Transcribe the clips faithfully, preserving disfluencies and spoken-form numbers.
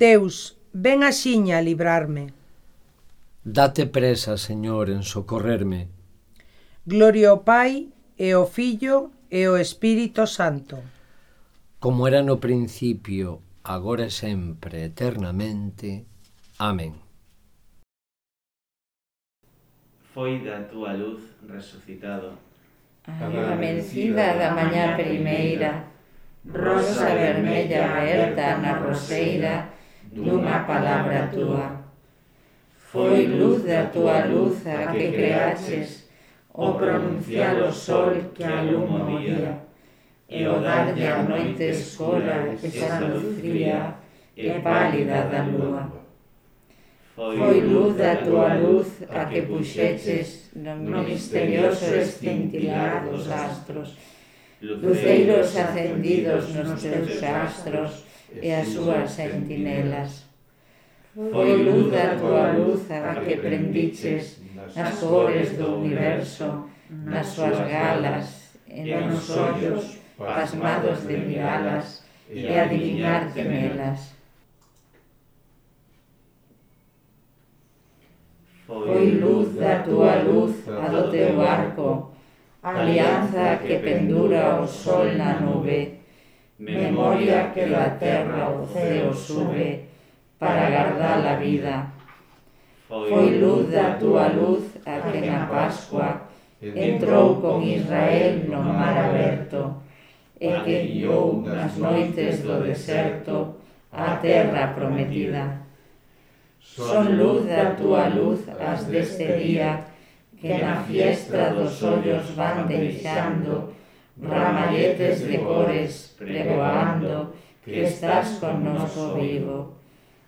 Deus, ven axiña a librarme. Date presa, Señor, en socorrerme. Gloria ao Pai, e ao Fillo, e ao Espírito Santo. Como era no principio, agora e sempre, eternamente. Amén. Foi da túa luz resucitado a vencida da mañá primeira, rosa vermella aberta na roseira dunha palabra túa. Foi luz da túa luz a que creaches o pronunciar o sol que aluma o día, e o darlle a noite escura esa luz fría e pálida da lúa. Foi luz da túa luz a que puxeches no misterioso escintilar dos astros, luceiros acendidos nos teus astros e as súas sentinelas. Foi luz da túa luz a que prendiches nas cores do universo, nas súas galas, e nos ollos pasmados de miralas e adivinarte nelas. Foi luz da túa luz a do teu arco, alianza que pendura o sol na nube, memoria que da terra ao ceo sube para guardar a vida. Foi luz da túa luz a que na Pascua entrou con Israel no mar aberto e que guiou nas noites do deserto a terra prometida. Son luz da túa luz as deste día que na fiesta dos ollos van deixando ramalletes de cores pregoando que estás connosco vivo.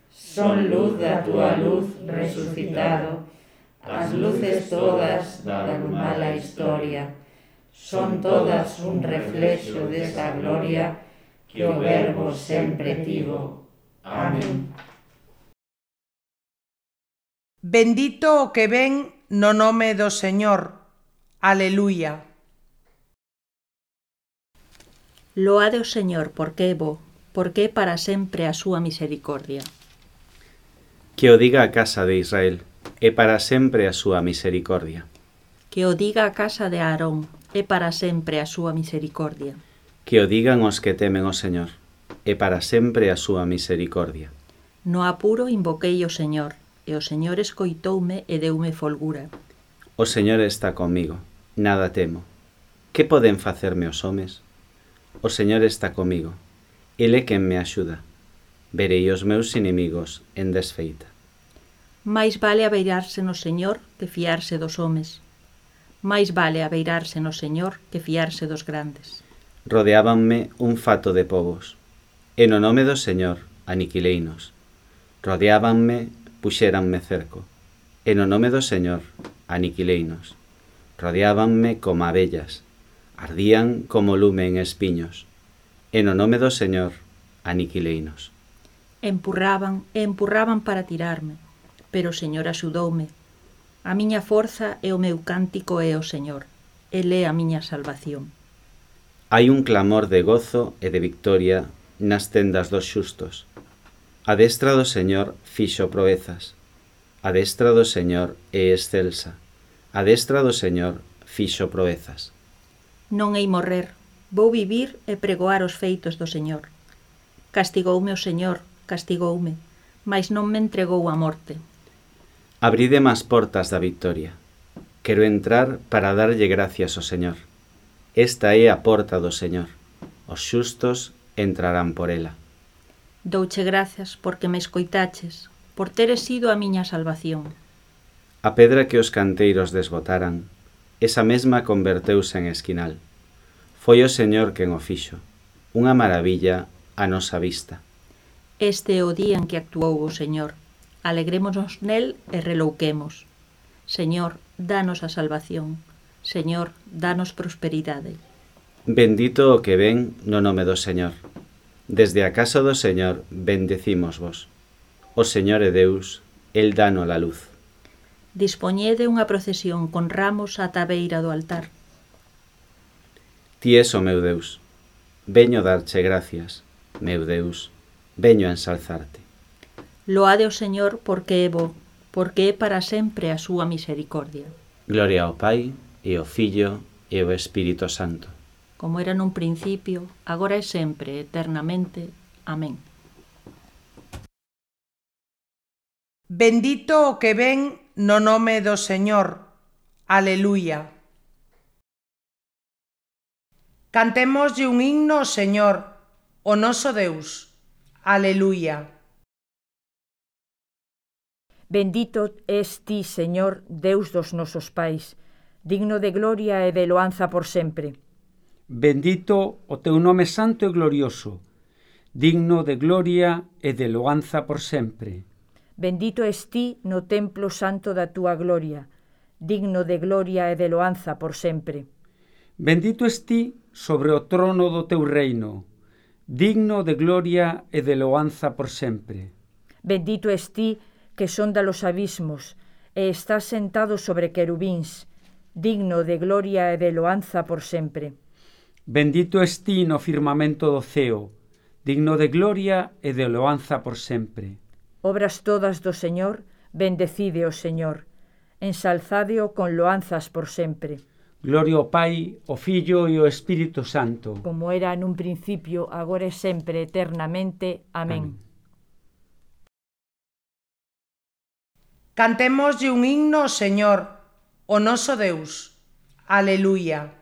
Son luz da túa luz resucitado as luces todas da mala historia. Son todas un reflexo desa gloria que o Verbo sempre tivo. Amén. Bendito o que ven no nome do Señor. Aleluia. Loade o Señor porque é bo, porque é para sempre a súa misericordia. Que o diga a casa de Israel, é para sempre a súa misericordia. Que o diga a casa de Aarón, é para sempre a súa misericordia. Que o digan os que temen o Señor, é para sempre a súa misericordia. No apuro invoquei o Señor, e o Señor escoitoume e deume folgura. O Señor está comigo, nada temo. Que poden facerme os homes? O Señor está comigo, Ele é quen me axuda. Verei os meus inimigos en desfeita. Mais vale abeirarse no Señor que fiarse dos homes. Mais vale abeirarse no Señor que fiarse dos grandes. Rodeábanme un fato de povos, e no nome do Señor aniquileinos. Rodeábanme, puxéranme cerco, e no nome do Señor aniquileinos. Rodeábanme como abellas, ardían como lume en espiños, e no nome do Señor aniquileinos. Empurraban e empurraban para tirarme, pero o Señor axudoume. A miña forza e o meu cántico é o Señor, Ele é a miña salvación. Hai un clamor de gozo e de victoria nas tendas dos xustos. A destra do Señor fixo proezas. A destra do Señor é excelsa. A destra do Señor fixo proezas. Non hei morrer, vou vivir e pregoar os feitos do Señor. Castigoume o Señor, castigoume, mas non me entregou a morte. Abrideme as portas da victoria. Quero entrar para darlle gracias ao Señor. Esta é a porta do Señor. Os xustos entrarán por ela. Douche gracias porque me escoitaches, por teres sido a miña salvación. A pedra que os canteiros desbotaran, esa mesma converteuse en esquinal. Foi o Señor quen o fixo, unha maravilla a nosa vista. Este é o día en que actuou o Señor. Alegrémonos nel e relouquemos. Señor, danos a salvación. Señor, danos prosperidade. Bendito o que ven no nome do Señor. Desde a casa do Señor bendecímosvos. O Señor é Deus, El dano la luz. Dispoñede unha procesión con ramos ata a beira do altar. Ti es o meu Deus. Veño darche gracias, meu Deus, veño a ensalzarte. Loade o Señor porque é bo, porque é para sempre a súa misericordia. Gloria ao Pai, e ao Fillo, e ao Espírito Santo. Como era nun principio, agora e sempre, eternamente. Amén. Bendito o que ven no nome do Señor. Aleluia. Cantémoslle un himno ao Señor, o noso Deus. Aleluia. Bendito es ti, Señor, Deus dos nosos pais, digno de gloria e de loanza por sempre. Bendito o teu nome santo e glorioso, digno de gloria e de loanza por sempre. Bendito es ti no templo santo da túa gloria, digno de gloria e de loanza por sempre. Bendito es ti sobre o trono do teu reino, digno de gloria e de loanza por sempre. Bendito es ti que sonda los abismos, e estás sentado sobre querubíns, digno de gloria e de loanza por sempre. Bendito es ti no firmamento do ceo, digno de gloria e de loanza por sempre. Obras todas do Señor, bendecide o Señor, ensalzádeo con loanzas por sempre. Gloria ao Pai, ao Fillo e ao Espírito Santo. Como era nun principio, agora e sempre, eternamente. Amén. Amén. Cantémoslle un himno ao Señor, o noso Deus. Aleluia.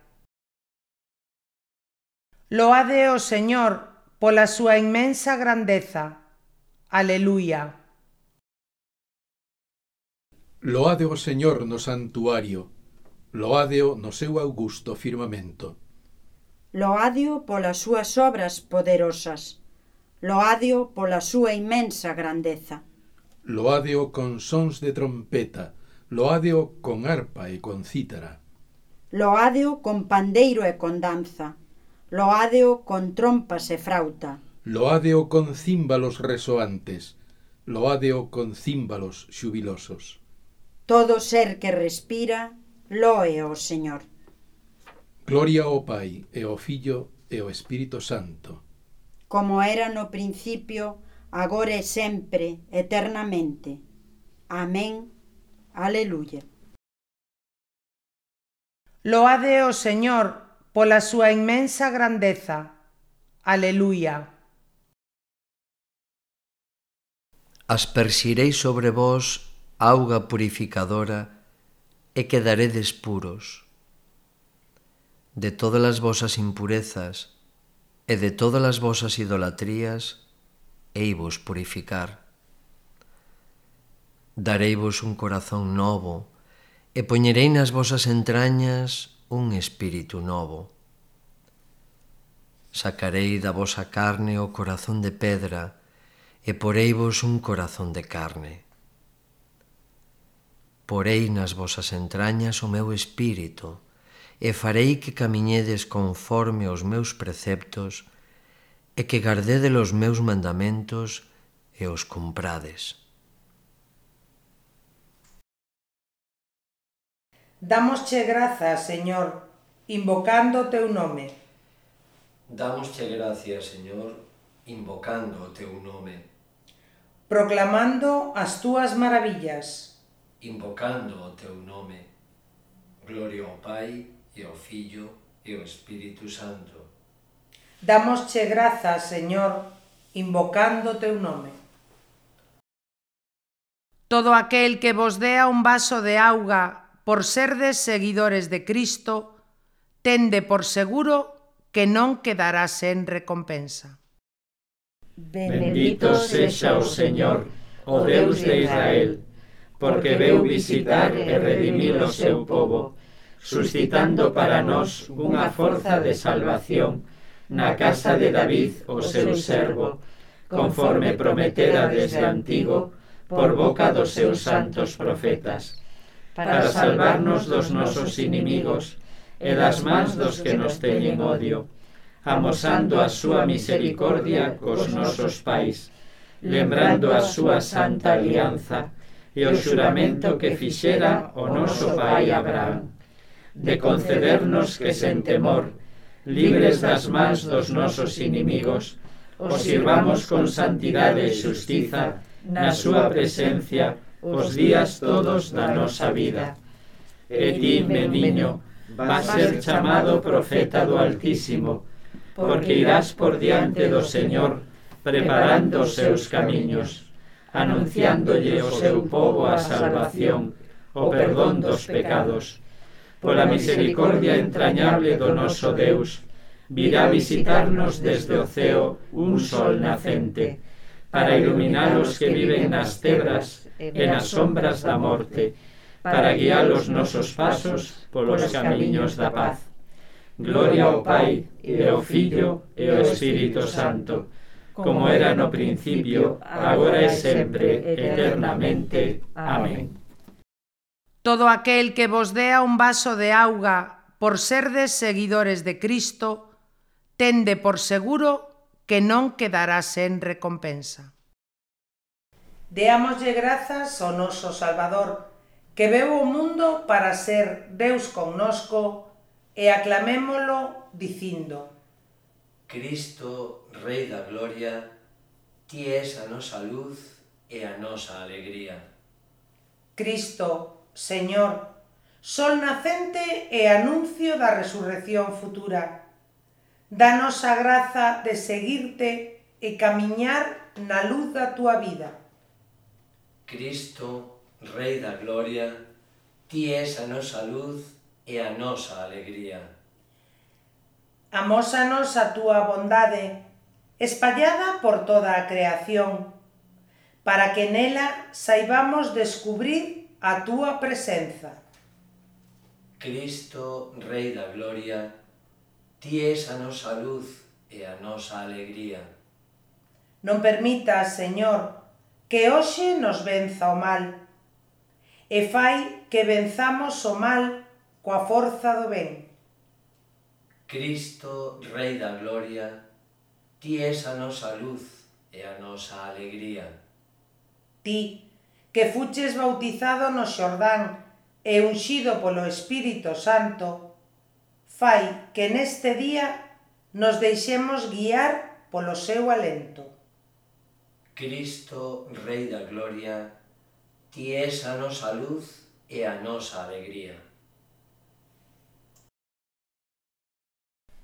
Loade o Señor pola súa inmensa grandeza. Aleluia. Loade o Señor no santuario, loádeo no seu augusto firmamento. Loádeo polas súas obras poderosas, loádeo pola súa inmensa grandeza. Loádeo con sons de trompeta, loádeo con arpa e con cítara. Loádeo con pandeiro e con danza, loádeo con trompas e frauta. Loádeo con címbalos resoantes, loádeo con címbalos xubilosos. Todo ser que respira, loe ao Señor. Gloria ao Pai, e ao Fillo, e ao Espírito Santo. Como era no principio, agora e sempre, eternamente. Amén. Aleluia. Loade o Señor pola súa inmensa grandeza. Aleluia. Asperxirei sobre vós auga purificadora e quedaredes puros. De todas as vosas impurezas e de todas as vosas idolatrías eivos purificar. Dareivos un corazón novo e poñerei nas vosas entrañas un espírito novo. Sacarei da vosa carne o corazón de pedra e poreivos un corazón de carne. Porei nas vosas entrañas o meu espírito e farei que camiñedes conforme aos meus preceptos e que gardedes os meus mandamentos e os cumprades. Dámosche grazas, Señor, invocando o teu nome. Dámosche gracias, Señor, invocando o teu nome. Proclamando as túas maravillas. Invocando o teu nome. Gloria ao Pai, e ao Fillo, e ao Espírito Santo. Dámosche grazas, Señor, invocando o teu nome. Todo aquel que vos dea un vaso de auga por serdes seguidores de Cristo, tende por seguro que non quedará sen recompensa. Bendito sexa o Señor, o Deus de Israel, porque veu visitar e redimir o seu povo, suscitando para nós unha forza de salvación na casa de David, o seu servo, conforme prometera desde antigo por boca dos seus santos profetas, para salvarnos dos nosos inimigos e das mans dos que nos teñen odio, amosando a súa misericordia cos nosos pais, lembrando a súa santa alianza e o xuramento que fixera o noso pai Abraham, de concedernos que sen temor, libres das mans dos nosos inimigos, os sirvamos con santidade e xustiza na súa presencia, os días todos da nosa vida. E ti, meniño, vas ser chamado profeta do Altísimo, porque irás por diante do Señor, preparando os seus camiños, anunciándolle ao seu pobo a salvación, o perdón dos pecados. Pola misericordia entrañable do noso Deus, virá visitarnos desde o ceo un sol nacente, para iluminar os que viven nas tebras e nas sombras da morte, para guiar os nosos pasos polos camiños da paz. Gloria ao Pai, e ao Fillo, e ao Espírito Santo, como era no principio, agora e sempre, eternamente. Amén. Todo aquel que vos dea un vaso de auga por serdes seguidores de Cristo, tende por seguro que non quedará sen recompensa. Deámoslle grazas ao noso Salvador, que veu o mundo para ser Deus connosco, e aclamémolo dicindo: Cristo, Rei da Gloria, ti és a nosa luz e a nosa alegría. Cristo, Señor, sol nacente e anuncio da resurrección futura. Danos a graza de seguirte e camiñar na luz da túa vida. Cristo, Rei da Gloria, ti és a nosa luz e a nosa alegría. Amósanos a túa bondade, espallada por toda a creación, para que nela saibamos descubrir a túa presenza. Cristo, Rei da Gloria, ti és a nosa luz e a nosa alegría. Non permitas, Señor, que hoxe nos venza o mal, e fai que venzamos o mal coa forza do ben. Cristo, Rei da Gloria, ti és a nosa luz e a nosa alegría. Ti, que fuches bautizado no Xordán e unxido polo Espírito Santo, fai que neste día nos deixemos guiar polo seu alento. Cristo, Rei da Gloria, ti és a nosa luz e a nosa alegría.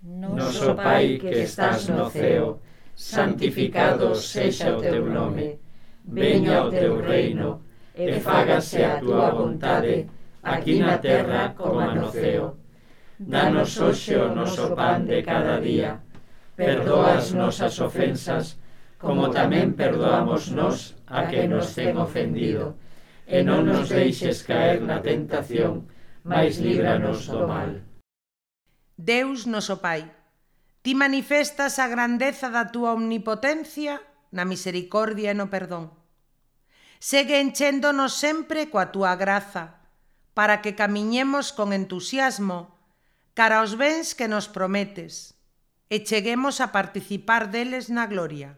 Noso Pai que estás no ceo, santificado sexa o teu nome. Veña o teu reino, e fágase a túa vontade, aquí na terra como no ceo. Danos hoxe o noso pan de cada día. Perdoa as nosas ofensas, como tamén perdoamos nós a que nos ten ofendido. E non nos deixes caer na tentación, mais líbranos do mal. Deus noso Pai, ti manifestas a grandeza da túa omnipotencia na misericordia e no perdón. Segue enchéndonos sempre coa túa graza, para que camiñemos con entusiasmo cara aos bens que nos prometes e cheguemos a participar deles na gloria.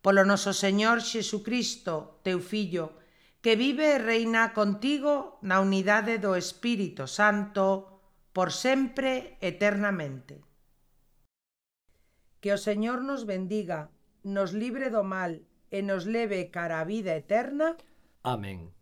Polo noso Señor Xesucristo, teu Fillo, que vive e reina contigo na unidade do Espírito Santo, por sempre, eternamente. Que o Señor nos bendiga, nos libre do mal e nos leve cara a vida eterna. Amén.